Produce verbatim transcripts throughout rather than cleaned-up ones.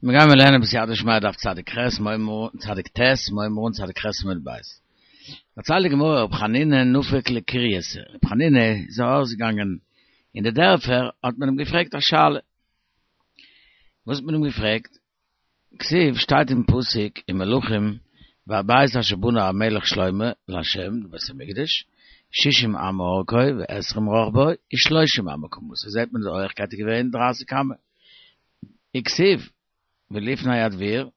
מיר גייען לערנען בסייעתא דשמיא דף צדיק ח' מוימור צדיק ט' מוימור צדיק ח' עמוד ב'. דערציילט די גמרא רב חנינא נפק לקרייתא. רב חנינא איז ארויסגעגאנגען אין די דערפער האט מען אים געפרעגט א שאלה. וואס האט מען אים געפרעגט? כתיב שטייט אין פסוק אין מלכים והבית אשר בנה המלך שלמה לה' די בית המקדש שישים אמה ארכו ועשרים רחבו ושלושים אמה קומתו זעט מען די הויכקייט איז געווען דרייסיג אמה. וכתיב ולפני הדביר,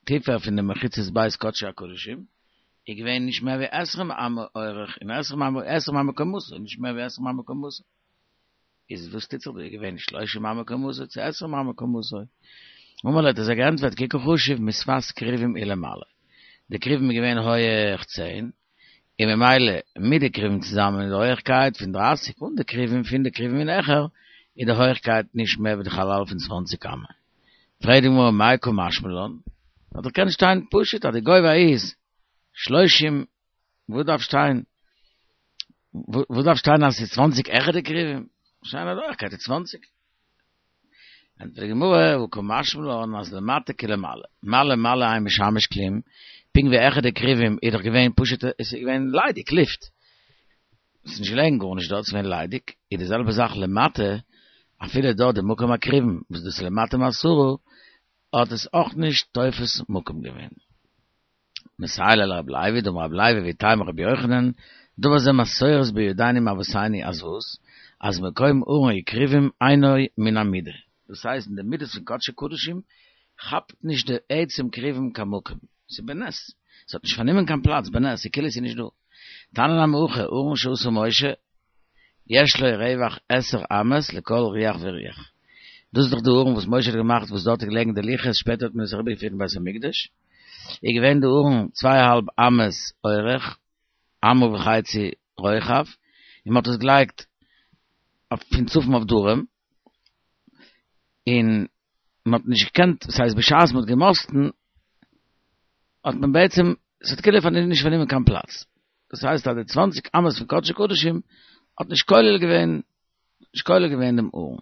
טיפער פון די מחיצות בית קדשי הקדשים, איז געווען נישט מער ווי עשרים אמה אורך און עשרים אמה עשרים אמה קומתו, נישט מער ווי עשרים אמה קומתו. איז וואס טוט זיך דא? איז געווען שלושים אמה קומתו צו עשרים אמה קומתו? אמר להו האט ער זיי געענטפערט כי קא חשיב משפת כרובים ולמעלה. די כרובים איז געווען הויעך צען, און ממילא מיט די כרובים צוזאמען איז די הויעכקייט פון דרייסיג, אן די כרובים פון די כרובים און העכער איז די הויעכקייט נישט מער ווי די חלל פון צוואנציג אמה. פרעגט די גמרא מאי קא משמע לן? האט דאך קענען שטיין פשוט אז די גובה איז שלושים, וואס דארף שטיין וואס דארף שטיין אז ס'איז צוואנציג העכער די כרובים? שטיין אז די הויעכקייט איז צוואנציג. ענטפערט די גמרא, הא קא משמע לן אז למטה כלמעלה, מעלה מעלה אין משמש כלום, פונקט ווי העכער די כרובים איז דאך געווען פשוט עס איז געווען ליידיג לופט, עס איז נישט געלעגן גארנישט דארט, עס איז געווען ליידיג, איז די זעלבע זאך למטה, אפילו דארט די מקום הכרובים וואס דאס איז למטה מעשרה, האט עס אויך נישט תופס מקום געווען. מסייע ליה לרבי לוי, דאמר רבי לוי ואיתימא רבי יוחנן, דבר זה מסורת בידינו מאבותינו אז וואס? אז מקום ארון וכרובים אינו מן המידה. דאס הייסט אין די מידות פון קדשי קדשים כאפט נישט די עצם כרובים קיין מקום, ס'איז בנס, ס'האט נישט פארנומען קיין פלאץ, בנס, ס'איז כאילו ס'איז נישט דא. תניא נמי הכי, ארון שעשה משה, יש לו רווח עשר אמות לכל רוח ורוח. דאס איז דאך די ארון וואס משה האט געמאכט וואס דארט איז געלעגן די לוחות, שפעטער האט מען עס אריבערגעפירט אין בית המקדש, איז געווען די ארון צוויי אהאלב אמות אורך, אמה וחצי רוחב, און מען האט עס געלייגט פון צפון אויף דרום, און מען האט נישט געקענט, דאס הייסט בשעת מען האט געמאסטן האט מען בעצם, עס האט כאילו נישט פארנומען קיין פלאץ, דאס הייסט אז די צוואנציג אמות פון קדשי קדשים האט נישט כולל געווען, נישט כולל געווען דעם ארון.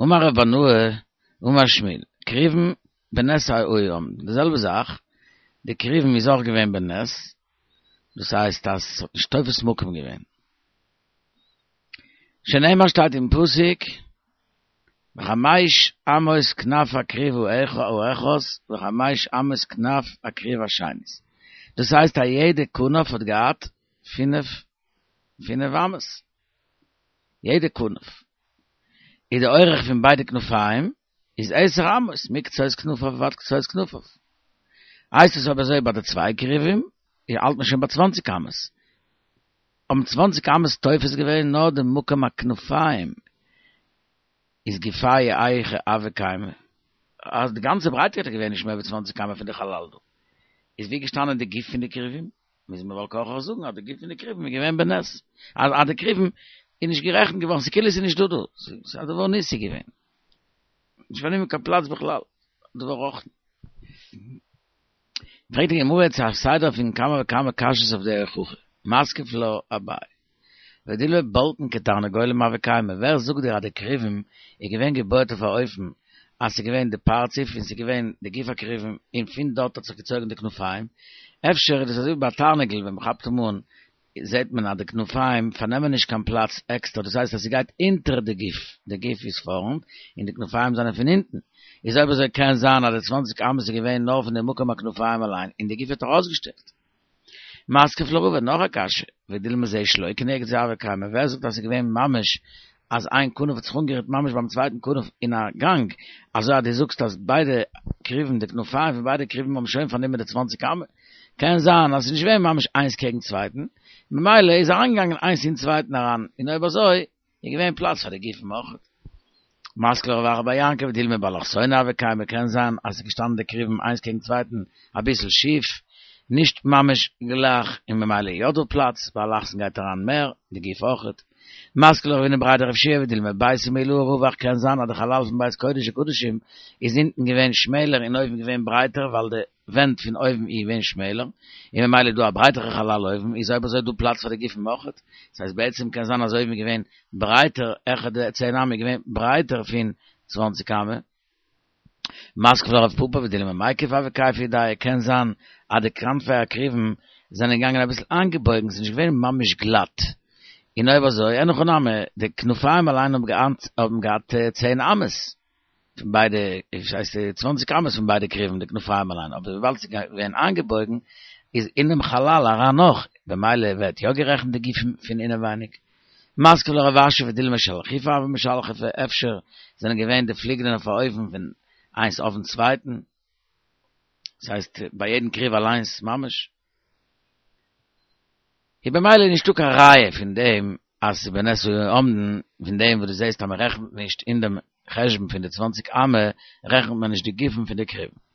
אמר רב בנאה, אמר שמואל, כרובים בנס היו עומדין, די זעלבע זאך, די כרובים איז אויך געווען בנס, דאס הייסט אז עס האט נישט תופס מקום געווען. שנאמר שטייט אין פסוק, וחמש אמות כנף הכרוב האחת וחמש אמות כנף הכרוב השנית. דאס הייסט א יעדע כנף האט געהאט פינף פינף אמות. יעדע כנף. איז די אורך פון ביידע כנפיים איז עשר אמות, מקצות כנפיו ועד קצות כנפיו. הייסט עס אויב אזוי ביי די צוויי כרובים, האלט מען שוין ביי צוואנציג אמות. האבן צוואנציג אמות תופס געווען נאר די מקום הכנפיים איז גופייהו היכי הוה קיימא, אז די גאנצע ברייטקייט איז געווען נישט מער ווי צוואנציג אמה פון די חלל דא, איז ווי געשטאנען די גוף פון די כרובים? מוז מען בעל כרחך זאגן אז די גוף פון די כרובים איז געווען בנס, אז אז די כרובים איז נישט גערעכנט געווארן, ס'איז כאילו ס'איז נישט דא דא, ס'איז א דבר ניסי געווען, נישט פארנומען קיין פלאץ בכלל, דבר רוחני. פרעגט די גמרא יעצט א סדר פון כמה וכמה קשיות אויף די הוכחה, מתקיף לה אביי, ודילמא בולטין כתרנגולים הוו קיימי, ווער זאגט דיר אז די כרובים איז געווען געבויעט אויף א אופן אז ס'איז געווען די פרצוף און ס'איז געווען די גוף הכרובים און פון דארט האט זיך געצויגן די כנפיים, אפשר איז דאס אזוי ווי ביי א תרנגול ווען מ'כאפט אים אן זעט מען אז די כנפיים פארנעמען נישט קיין פלאץ עקסטער, דאס הייסט אז ס'גייט אונטער די גוף, די גוף איז פארנט און די כנפיים זענען פון הינטן, איז אויב אזוי קען זיין אז די צוואנציג אמות איז געווען נאר פון די מקום הכנפיים אליין און די גוף האט ארויסגעשטעקט. מתקיף לה רבא, נאך א קשיא, ודילמא זה שלא כנגד זה הוו קיימי, ווער זאגט אז ס'איז געווען ממש אז איין כנף האט זיך אנגערירט ממש ביים צווייטן כנף אין א גאנג, אזוי אז דו זאגסט אז ביידע כרובים, די כנפיים פון ביידע כרובים האבן שוין פארנומען די צוואנציג אמה, קען זיין אז ס'איז נישט געווען ממש איינס קעגן צווייטן, ממילא איז אריינגעגאנגען איינס אין צווייטן אריין, און אויב אזוי איז געווען פלאץ פאר די גופים אויך. מתקיף לה רב אחא בר יעקב ודילמא באלכסונא הוו קיימי, קען זיין אז ס'איז געשטאנען די כרובים איינס קעגן צווייטן אביסל שיף, נישט ממש גלייך, און ממילא איז יא דא פלאץ, ביי אלכסון גייט אריין מער, די גוף אויכעט. מתקיף לה רב הונא בריה דרב יהושע ודילמא ביתא מעילאה רווח קען זיין אז די חלל פון בית קודש הקדשים איז אונטן געווען שמעלער און אויבן געווען ברייטער ווייל די ווענט פון אויבן איז געווען שמעלער און ממילא איז דא א ברייטערע חלל אויבן איז אויב אזוי דא פלאץ פאר די גופים אויכעט דאס הייסט בעצם קען זיין אז אויבן איז געווען ברייטער העכער די צען אמה איז געווען ברייטער פון צוואנציג אמה. מתקיף לה רב פפא ודילמא מיקף הוו כייפי ידייהו, קען זיין אז די כנפי הכרובים זענען געגאנגען אביסל איינגעבויגן, ס'איז נישט געווען ממש גלאט. און אויב אזוי, אין הכי נמי, די כנפיים אליין האבן געהאט צען אמות פון ביידע, דאס הייסט צוואנציג אמות פון ביידע כרובים די כנפיים אליין, אבער וויבאלד ס'איז געווען איינגעבויגן איז אינעם חלל אריין נאך, במילא ווערט יא גערעכנט די גופים פון אינעווייניג. מתקיף לה רב אשי ודילמא שלחיפי הוו משלחפי, אפשר זענען געווען די פליגלען אויף א אופן פון איינס אויפן צווייטן, דאס הייסט ביי יעדן כרוב אליינס ממש. איז במילא נישטא קיין ראיה פון דעם אז ס'איז בנס היו עומדין, פון דעם וואס דו זעסט אז מען רעכנט נישט אין דעם חשבון פון די צוואנציג אמה רעכנט מען נישט די גופים פון די כרובים.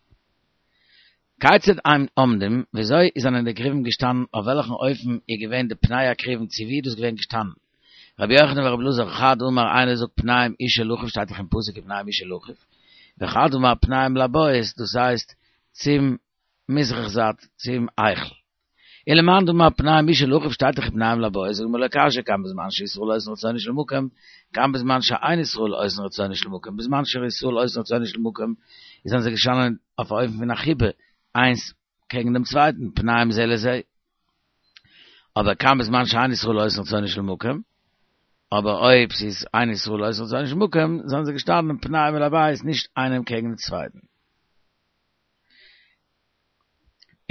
כיצד הם עומדים, וויאזוי זענען די כרובים געשטאנען, אויף וועלכן אופן איז געווען די פני הכרובים צו ווי איז דאס געווען געשטאנען? רבי יוחנן ורבי אלעזר חד אמר איינער זאגט פניהם איש אל אחיו שטייט דאך אין פסוק ופניהם איש אל אחיו, וחד אמר פניהם לבית דאס הייסט צום מזרח זייט צום היכל. ולמאן דאמר פניהם איש אל אחיו שטייט דאך ופניהם לבית זאגט די גמרא לא קשיא כאן בזמן שישראל עושין רצונו של מקום כאן בזמן שאין ישראל עושין רצונו של מקום בזמן שישראל עושין רצונו של מקום איז זענען זיי געשטאנען אויף א אופן פון א חיבה איינס קעגן דעם צווייטן פניהם זה לזה אבער כאן בזמן שאין ישראל עושין רצונו של מקום אבער אויב ס'איז אין ישראל עושין רצונו של מקום זענען זיי געשטאנען פניהם אל הבית נישט איינעם קעגן דעם צווייטן.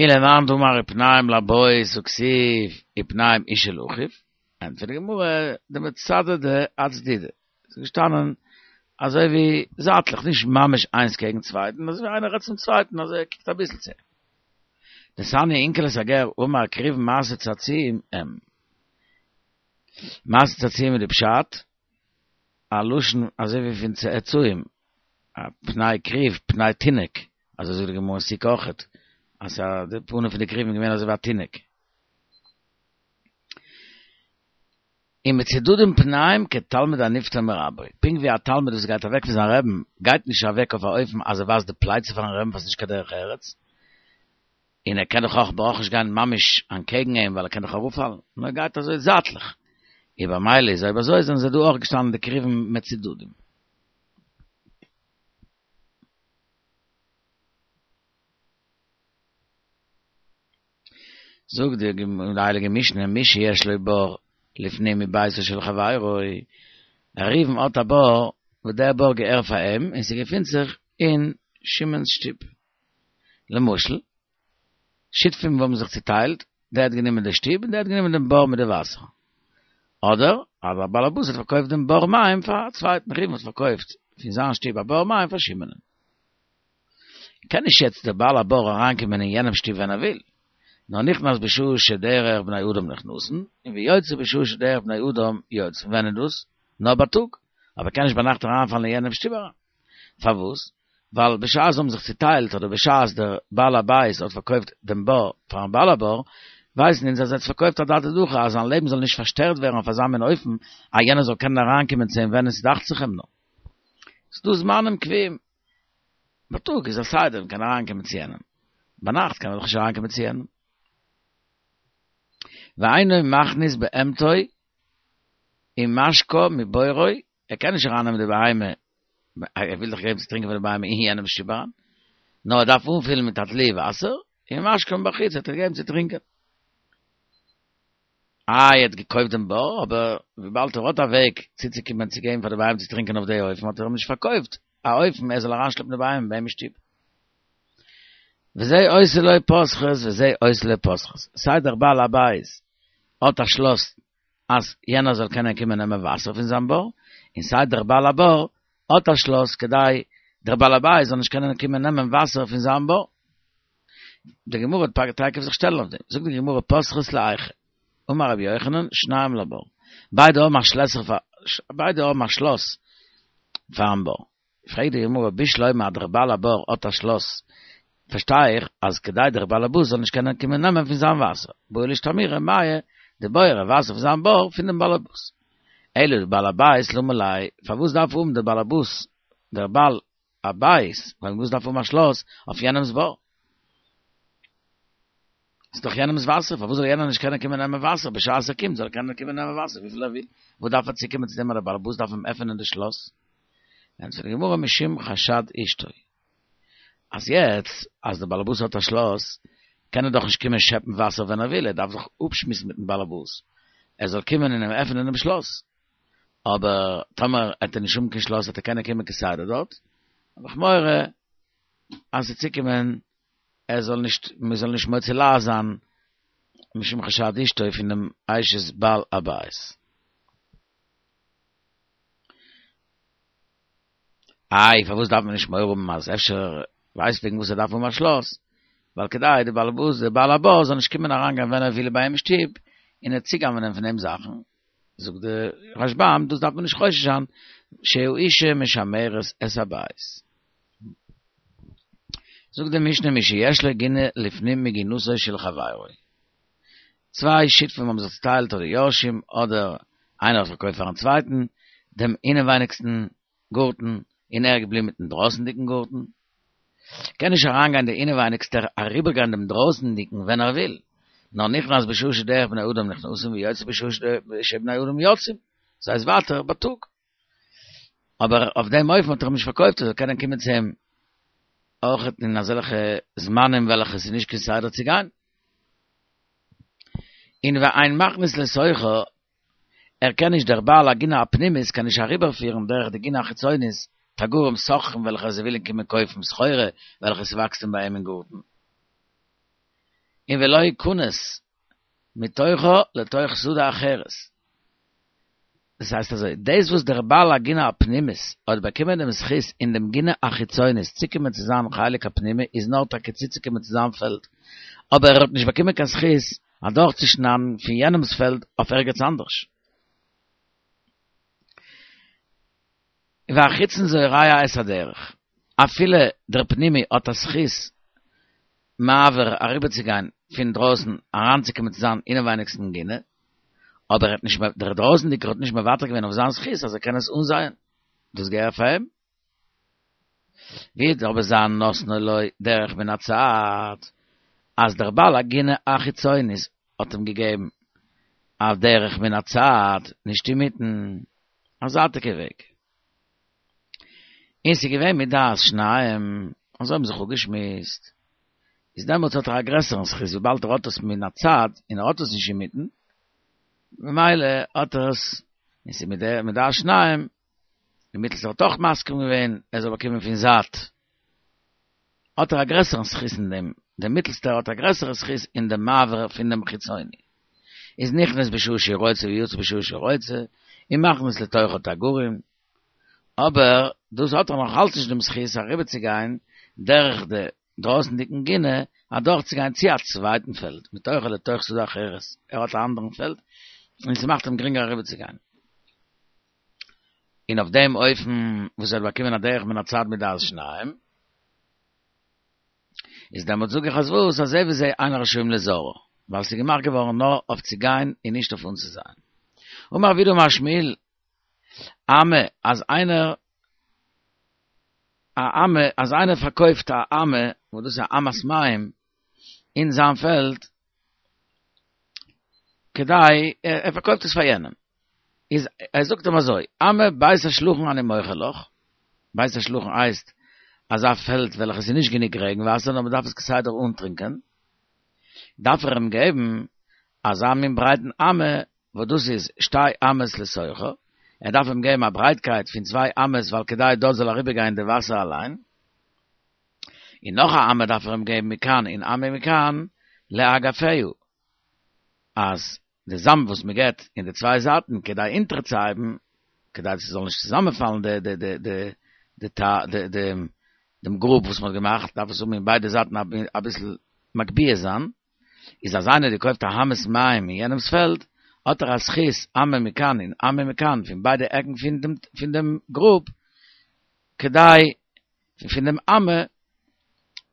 ולמאן דאמר ופניהם לבית הכתיב ופניהם איש אל אחיו, ענטפערט די גמרא דמצדדי אצדודי, ס'איז געשטאנען אזוי ווי זייטליך, נישט ממש איינס קעגן צווייטן, אזוי ווי איינער רעדט צום צווייטן אזוי ער קוקט אביסל צו אים. דתניא אונקלוס הגר אמר כרובים מעשה צעצועים הם. מעשה צעצועים איז די פשט, א לשון אזוי ווי פון צעצועים, א פני כרוב, פני תינוק, אזוי זאגט די גמרא אין סוכה אויכעט, אז די פנים פון די כרובים איז געווען אזוי ווי א תינוק. ומצודדין פניהם כתלמיד הנפטר מרבו, פונקט ווי א תלמיד וואס גייט אוועק פון זיין רעבן, גייט נישט אוועק אויף א אופן אז ער ווייזט די פלייצע פארן רעבן וואס איז נישט קיין דרך ארץ, און ער קען דאך אויך ברויך נישט גיין ממש אנטקעגן אים ווייל ער קען דאך אראפפאלן, נאר ער גייט אזוי זייטליך, און במילא איז אויב אזוי זענען זיי דא אויך געשטאנען די כרובים מצודדים. זאגט די הייליגע משנה מי שיש לו בור לפנים מביתו של חברו, ראובן האט א בור וואס דער בור געהער פאר אים און ס'געפינט זיך אין שמעון'ס שטוב, למשל, שותפים האבן זיך צוטיילט, דער האט גענומען די שטוב און דער האט גענומען דעם בור מיט די וואסער. אדער אז א בעל הבית האט פארקויפט דעם בור מים פאר א צווייטן, ראובן האט פארקויפט פון זיין שטוב א בור מים פאר שמעונ'ען. קען נישט יעצט דער בעל הבור אריינקומען אין יענעם שטוב ווען ער וויל, נאר נכנס בשעה שדרך בני אדם נכנסין, און ויוצא בשעה שדרך בני אדם יוצאין. ווען איז דאס? נאר בייטאג, אבער ער קען נישט ביינאכט אריינפאלן אין יענעם שטוב אריין. פארוואס? ווייל בשעת זיי האבן זיך צוטיילט אדער בשעת דער בעל הבית האט פארקויפט דעם בור פארן בעל הבור, ווייסן אונז אז ער האט עס פארקויפט אדעתא דהכי אז זיין לעבן זאל נישט פארשטערט ווערן אויף אזא מין אופן אז יענער זאל קענען אריינקומען צו אים ווען עס דאכט זיך אים נאר. ס'דא זמנים קבועים. בייטאג איז א סדר מ'קען אריינקומען צו יענעם, ביינאכט קען מען דאך נישט אריינקומען צו יענעם. ואינו מכניס בהמתו ומשקה מבורו, ער קען נישט ארייננעמען די בהמה, ער וויל דאך געבן צו טרינקען פאר די בהמה אין יענעמ'ס שטוב אריין, נאר ער דארף אנפילן מיט א דלי וואסער, ומשקה מבחוץ וועט ער געבן צו טרינקען. איי ער האט געקויפט דעם בור, אבער וויבאלד ער האט א וועג צוצוקומען צו געבן פאר די בהמה צו טרינקען אויף די אופן האט ער אים נישט פארקויפט א אופן ער זאל אריינשלעפן די בהמה ביי אים אין שטוב. וזה עושה לו פותחות וזה עושה לו פותחות, סיי דער בעל הבית האט א שלאס אז יענער זאל קענען קומען נעמען וואסער פון זיין בור, און סיי דער בעל הבור האט א שלאס כדי דער בעל הבית זאל נישט קענען קומען נעמען וואסער פון זיין בור. די גמרא וועט תיכף זיך שטעלן אויף דעם, זאגט די גמרא פותחות להיכא, אמר רבי יוחנן, שניהם לבור, ביידע האבן א שלעסער פאר, ביידע האבן א שלאס פארן בור. פרעגט די גמרא בשלמא אז דער בעל הבור האט א שלאס, פארשטיי איך אז כדי דער בעל הבית זאל נישט קענען קומען נעמען פון זיין וואסער, בעי לאשתמורי מיא דבורו וואסער פון זיין בור פון דעם בעל הבית. אלא לבעל הבית למה ליה, פארוואס דארף האבן דער בעל הבית, דער בעל הבית, פארוואס דארף האבן א שלאס אויף יענעמ'ס בור? ס'איז דאך יענעמ'ס וואסער, פארוואס זאל יענער נישט קענען קומען נעמען וואסער, בשעת ער קומט זאל ער קענען קומען נעמען וואסער וויפיל ער וויל, וואס דארף ער צוקומען צו דעם אז דער בעל הבית דארף אים עפענען די שלאס? ענטפערט די גמרא משום חשד אשתו. אז יעצט, אז דער באלעבאס האט א שלאס, קען ער דאך נישט קומען שעפן וואסער ווען ער וויל, ער דארף זיך אפשמועסן מיטן באלעבאס, ער זאל קומען און אים עפענען דעם שלאס. אבער טאמער האט ער נישט האבן קיין שלאס, וועט ער קענען קומען כסדר דארט. האב איך מורא אז ס'וועט צוקומען ער זאל נישט, מען זאל נישט מוציא לעז זיין משום חשד אשתו פון דעם אשת בעל הבית. איי, פארוואס דארף מען נישט מורא האבן אז אפשר ווייסט וועגן וואס ער דארף האבן א שלאס? ווייל כדי די בעל הבית, דער בעל הבית זאל נישט קומען אריינגיין ווען ער וויל ביי אים אין שטוב און ער צוגנב'נען פון אים זאכן. זאגט דער רשב"ם, דאס דארף מען נישט חושש זיין, שהאישה משמרת את הבית. זאגט די משנה מי שיש לו גינה לפנים מגינתו של חברו. צוויי שותפים האבן זיך צוטיילט אדער יורשים אדער איינער האט פארקויפט פארן צווייטן דעם אינעווייניגסטן גארטן און ער איז געבליבן מיטן דרויסנדיגן גארטן. קען נישט אריינגיין דער אינעווייניגסטער אריבערגיין דעם דרויסנדיגן ווען ער וויל, נאר נכנס בשעה שדרך בני אדם נכנסים ויוצא בשעה שבני אדם יוצאים, ס'הייסט ווייטער בייטאג. אבער אויף דעם אופן האט ער אים נישט פארקויפט ער זאל קענען קומען צו אים אויך אין אזעלכע זמנים וועלכע ס'איז נישט כסדר צו גיין. און ואין מכניס לתוכה, ער קען נישט דער בעל הגינה הפנימית קען נישט אריבערפירן דורך די גינה החיצונית תגרים סוחרים וועלכע זיי ווילן קומען קויפן סחורה וועלכע ס'וואקסט אים ביי אים אין גארטן. און ולא יכנס מתוכה לתוך שדה אחרת. דאס הייסט אזוי, דאס וואס דער בעל הגינה הפנימית האט באקומען דעם זכות אין דעם גינה החיצונית צוקומען צו זיין חלק הפנימי איז נאר טאקע צוצוקומען צו זיין פעלד, אבער ער האט נישט באקומען קיין זכות אדורכצושניידן פון יענעמ'ס פעלד אויף ערגעץ אנדערש. והחיצון זורע את הדרך, אפילו דער פנימי האט א זכות מעבר אריבערצוגיין פון דרויסן אריינצוקומען צו זיין אינעווייניגסטן גינה, אבער ער האט נישט דער דרויסנדיגער האט נישט מוותר געווען אויף זיין זכות אז ער קען עס אנזייען, דאס געהער פאר אים. ווי אבער זיין נתנו לו דרך מן הצד, אז דער בעל הגינה החיצונית האט אים געגעבן א דרך מן הצד, נישט אינמיטן, א זייטיגע וועג. און ס'איז געווען מדעת שניים, אזוי האבן זיך אפגעשמועסט, איז דעמאלטס האט ער א גרעסערן זכות וויבאלד ער האט עס מן הצד און ער האט עס נישט אינמיטן, ממילא האט ער עס, און ס'איז מדעת שניים, די מיטלסטער האט אויך מסכים געווען ער זאל באקומען פון זייט, האט ער א גרעסערן זכות אין דעם, דער מיטלסטער האט א גרעסערע זכות אין דעם מעבר פון דעם חיצוני. איז נכנס בשעה שרוצה ויוצא בשעה שרוצה, און מכניס לתוכה תגרים, אבער דאס האט ער נאך אלץ נישט דעם זכות אריבערצוגיין דורך די דרויסנדיגן גינה אדורכצוגיין צו א צווייטן פעלד, מתוכה לתוך שדה אחרת, ער האט א אנדערן פעלד און ס'מאכט אים גרינגער אריבערצוגיין. און אויף דעם אופן וואס ער האט באקומען א דרך מן הצד מדעת שניים, איז דעמאלט זאג איך אז וואס, אז זה וזה אין רשאים לזרעה, ווייל ס'איז געמאכט געווארן נאר אויף צו גיין און נישט אויף אנצוזייען. אמר רב יהודה אמר שמואל, אמה, אז איינער א אמה, אז איינער פארקויפט א אמה, וואס דאס איז א אמת מים, אין זיין פעלד, כדי, ער פארקויפט עס פאר יענעם, איז ער זאגט אים אזוי, אמה בית השלחין אני מוכר לך, בית השלחין הייסט אזא פעלד וועלכע ס'איז נישט גענוג רעגן וואסער נאר מ'דארף עס כסדר אנטרינקען, דארף ער אים געבן אזא מין ברייטן אמה וואס דאס איז שתי אמות לתוכה, ער דארף אים געבן א ברייטקייט פון צוויי אמות ווייל כדי דארט זאל אריבערגיין די וואסער אליין, און נאך א אמה דארף ער אים געבן מכאן און אמה מכאן לאגפיה, אז די זאמד וואס מען געבט אין די צוויי זייטן כדי אונטערצוהייבן, כדי ס'זאל נישט צוזאמענפאלן די די די די די די די דעם גרוב וואס מען האט געמאכט, דארף עס האבן אין ביידע זייטן אביסל מגביה זיין, איז אז איינער האט געקויפט א אמת מים אין יענעמ'ס פעלד, האט ער א זכות אמה מכאן און אמה מכאן פון ביידע עקן פון דעם פון דעם גרוב, כדי פון דעם אמה,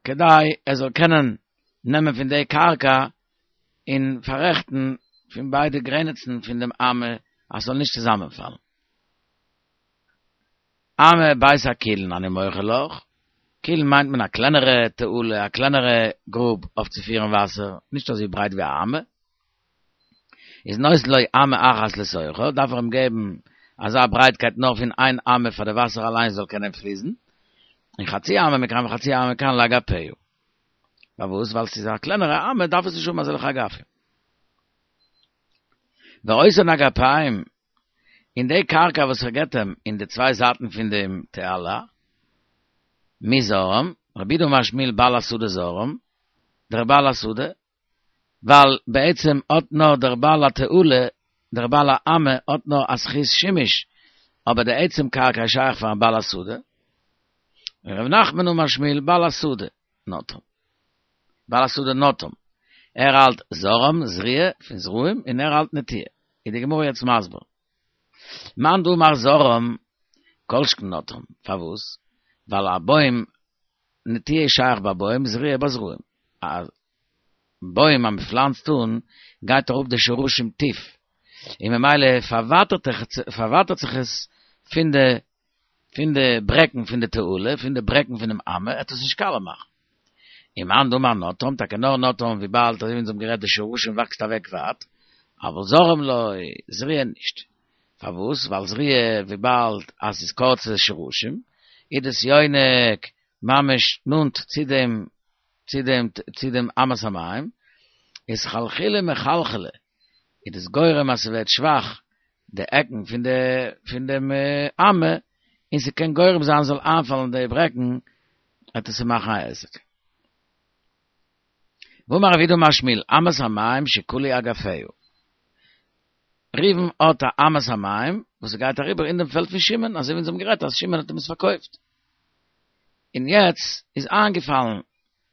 כדי ער זאל קענען נעמען פון די קרקע און פאררעכטן פון ביידע גרעניצן פון דעם אמה אז ס'זאל נישט צוזאמענפאלן. אמה בית הקולין אני מוכר לך, קולין מיינט מען א קלענערע תעלה, א קלענערע גרוב אויף צו פירן וואסער, נישט אזוי ברייט ווי א אמה. איז נותן לו אמה אחת לתוכה, דארף ער אים געבן אזא ברייטקייט נאר פון איין אמה פאר די וואסער אליין זאל קענען פליסן, און חצי אמה מכאן וחצי אמה מכאן לאגפיה. פארוואס? ווייל ס'איז א קלענערע אמה, דארף עס נישט האבן אזעלכע אגפים. ואותן אגפים, אין די קרקע וואס ער געט אים אין די צוויי זייטן פון דעם תעלה, מי זרעם, רב יהודה אמר שמואל בעל השדה זרעם, דער בעל השדה, ווייל בעצם האט נאר דער בעל התעלה, דער בעל האמה האט נאר א זכות שימוש, אבער די עצם קרקע איז שייך פארן בעל השדה. רב נחמן אמר שמואל בעל השדה נטעם. בעל השדה נטעם. ער האלט זרעם, זריעה, פון זרעים, און ער האלט נטיעה. איז די גמרא יעצט מסביר. מאן דאמר זרעם, כל שכן נטעם. פארוואס? ווייל א בוים, נטיעה איז שייך ביי בוים, זריעה ביי זרעים. א בוים אז מ'פלאנצט אן, גייט אראפ די שורשים טיף. און ממילא פארווייטערט זיך עס פון די פון די ברעקן פון די תעלה, פון די ברעקן פונעם אמה, עט עס נישט קאלע מאכן. און מאן דאמר נטעם, טאקע נאר נטעם וויבאלד אזוי ווי אונז האבן גערעדט די שורשים וואקסט אוועק ווייט, אבל זרעם לא, זריעה נישט. פארוואס? ווייל זריעה וויבאלד אז ס'איז קורצע שורשים, איז דאס יונק ממש נאנט צו דעם צו דעם צו דעם אמת המים, איז חלחולי מחלחלי, איז דאס גורם אז ס'ווערט שוואך די עקן פון די פון דעם אמה, און ס'קען גורם זיין ס'זאל איינפאלן די ברעקן, וועט עס מאכן א עסק. ואמר רב יהודה אמר שמואל, אמת המים שכלו אגפיה. ראובן האט א אמת המים וואס ס'גייט אריבער אין דעם פעלד פון שמעון, אזוי ווי אונז האבן גערעדט אז שמעון האט אים עס פארקויפט. און יעצט איז איינגעפאלן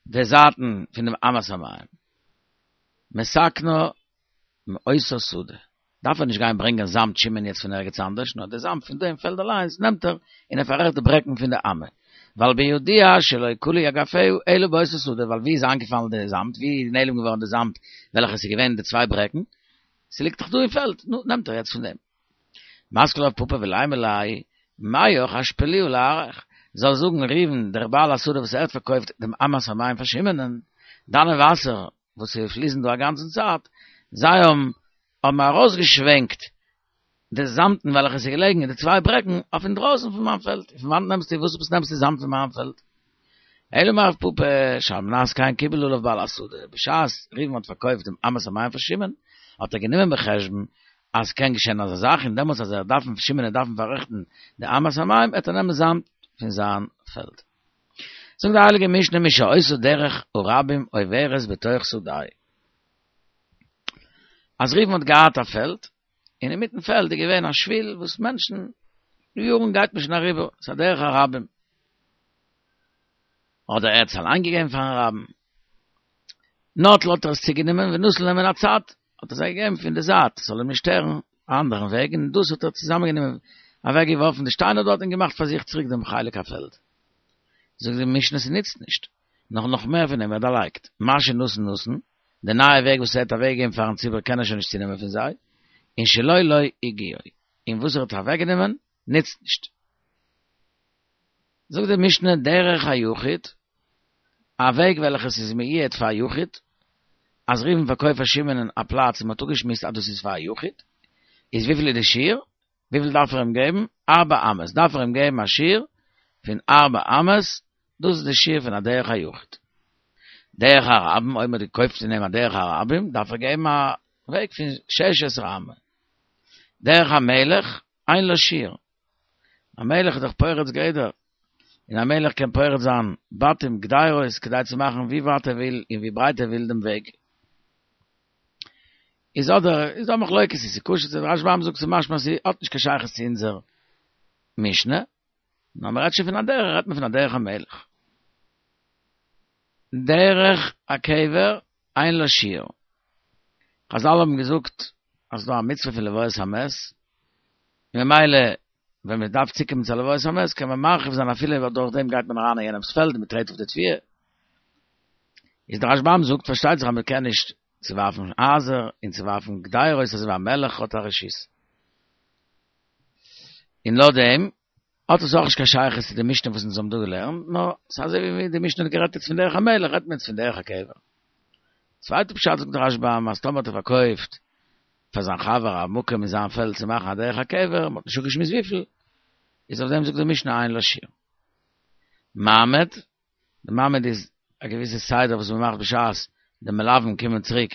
די זייטן פון דעם אמת המים. מתקנה מאותה שדה. דארף ער נישט גיין ברענגען זאמד שמעון יעצט פון ערגעץ אנדערש, נאר די זאמד פון דעם פעלד אליינס נעמט ער און ער פאררעכט די ברעקן פון די אמה. ווייל בידוע שלא כלו אגפיה אלא באותה שדה, ווייל ווי איז איינגעפאלן די זאמד, ווי איז נעלם געווארן די זאמד וועלכע ס'איז געווען די צוויי ברעקן, ס'ליגט דאך דא אין פעלד, נו, נעמט ער יעצט פון דעם. מתקיף לה רב פפא ולימא ליה, מיך אשפלוה לארעיך, זאל זאגן ראובן דער בעל השדה וואס ער האט פארקויפט דעם אמת המים פאר שמעונ'ען, דיינע וואסער וואס פליסן דא א גאנצן צייט, זיי האבן האבן ארויסגעשווענקט די זאמדן וועלכע איז געלעגן אין די צוויי ברעקן אויף אינדרויסן פון מיין פעלד, פון וואנעט נעמסטו, וואס עפעס נעמסטו זאמד פון מיין פעלד? אלא אמר רב פפא, שעל מנת כן קיבל עליו בעל השדה, בשעת ראובן האט פארקויפט דעם אמת המים פאר שמעון, האט ער גענומען בחשבון אז ס'קען געשען אזא זאך, און דעמאלטס אז ער דארף שמעון וועט דארפן פאררעכטן די אמת המים, וועט ער נעמען זאמד פון זיין פעלד. זאגט די הייליגע משנה מי שהיתה דרך הרבים עוברת בתוך שדהו. אז ראובן האט געהאט א פעלד, און אינמיטן פעלד איז געווען א שביל וואס מענטשן יארן גייט מען שוין אריבער, ס'איז א דרך הרבים. אדער ער האט עס אליין געגעבן פארן רבים. נטל האט ער עס צוגענומען ונתן להם מן הצד, האט ער זיי געגעבן פון די זייט, ס'זאל אים נישט שטערן א אנדערן וועג, און דאס האט ער צוזאמענגענומען, אוועקגעווארפן די שטיינער דארט און געמאכט פאר זיך צוריק דעם חלק הפעלד. זאגט די משנה ס'נוצט נישט, נאך נאך מער פון דעם ער דערלייגט, מה שנתן נתן, די נייע וועג וואס ער האט אוועקגעגעבן פארן ציבור קען ער שוין נישט צונעמען פון זיי, און שלו לא הגיעו, און וואס ער האט אוועקגענומען נוצט נישט. זאגט די משנה דרך היחיד, א וועג וועלכעס איז מיועד פאר א יחיד, אז ראובן פארקויפט פאר שמעונ'ן א פלאץ און מ'האט אפגעשמועסט אז דאס איז פאר א יחיד, איז וויפיל איז די שיעור? וויפיל דארף ער אים געבן? ארבע אמות, דארף ער אים געבן א שיעור פון ארבע אמות, דאס איז די שיעור פון א דרך היחיד. דרך הרבים, אויב מ'האט געקויפט פון אים א דרך הרבים, דארף ער געבן א וועג פון שש עשרה אמה. דרך המלך, אין לה שיעור. א מלך איז דאך פורץ גדר, און א מלך קען פורץ זיין בתים גדרות כדי צו מאכן ווי ווייט ער וויל און ווי ברייט ער וויל דעם וועג. איז אדער איז דא מחלוקת צו ס'איז כשר צו רשב"ם זאגט ס'איז משמע אז ס'האט נישט קיין שייכות צו אונזער משנה, נאר מ'רעדט שוין פון א דרך רעדט מען פון א דרך המלך. דרך הקבר אין לה שיעור. חזל האבן געזאגט אז ס'דא א מצוה פון לוויית המת, ממילא ווען מען דארף צוקומען צו א לוויית המת קען מען מרחיב זיין אפילו אויב דורך דעם גייט מען אריין אין יענעמ'ס פעלד און מען טרעט אויף די תבואה. איז דער רשב"ם זאגט פארשטייט זיך אז מען קען נישט צוווארפן הייזער און צוווארפן גדרות אזוי ווי א מלך האט א רשות. און לויט דעם האט עס אויך נישט קיין שייכות צו די משנה וואס אונז האבן דא געלערנט, נאר ס'איז אזוי ווי די משנה האט גערעדט יעצט פון דרך המלך רעדט מען יעצט פון דרך הקבר. צווייטע פשט זאגט דער רשב"ם אז טאמער האט ער פארקויפט פאר זיין חבר א מקום אין זיין פעלד צו מאכן א דרך הקבר, מ'האט נישט אפגעשמועסט וויפיל, איז אויף דעם זאגט די משנה אין לה שיעור. מעמד, די מעמד איז א געוויסע סדר וואס מען מאכט בשעת די מלווים קומען צוריק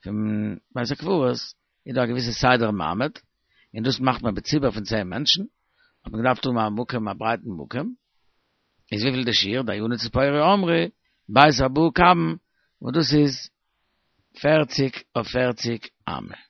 פון בית הקברות, איז דא א געוויסע סדר מעמד, און דאס מאכט מען בציבור פון צען מענטשן, האט מען געדארפט האבן א מקום, א ברייטן מקום, איז וויפיל די שיעור, דייני ציפורי אמרי, בית ארבעה קבין, וואס דאס איז פערציג אויף פערציג אמה.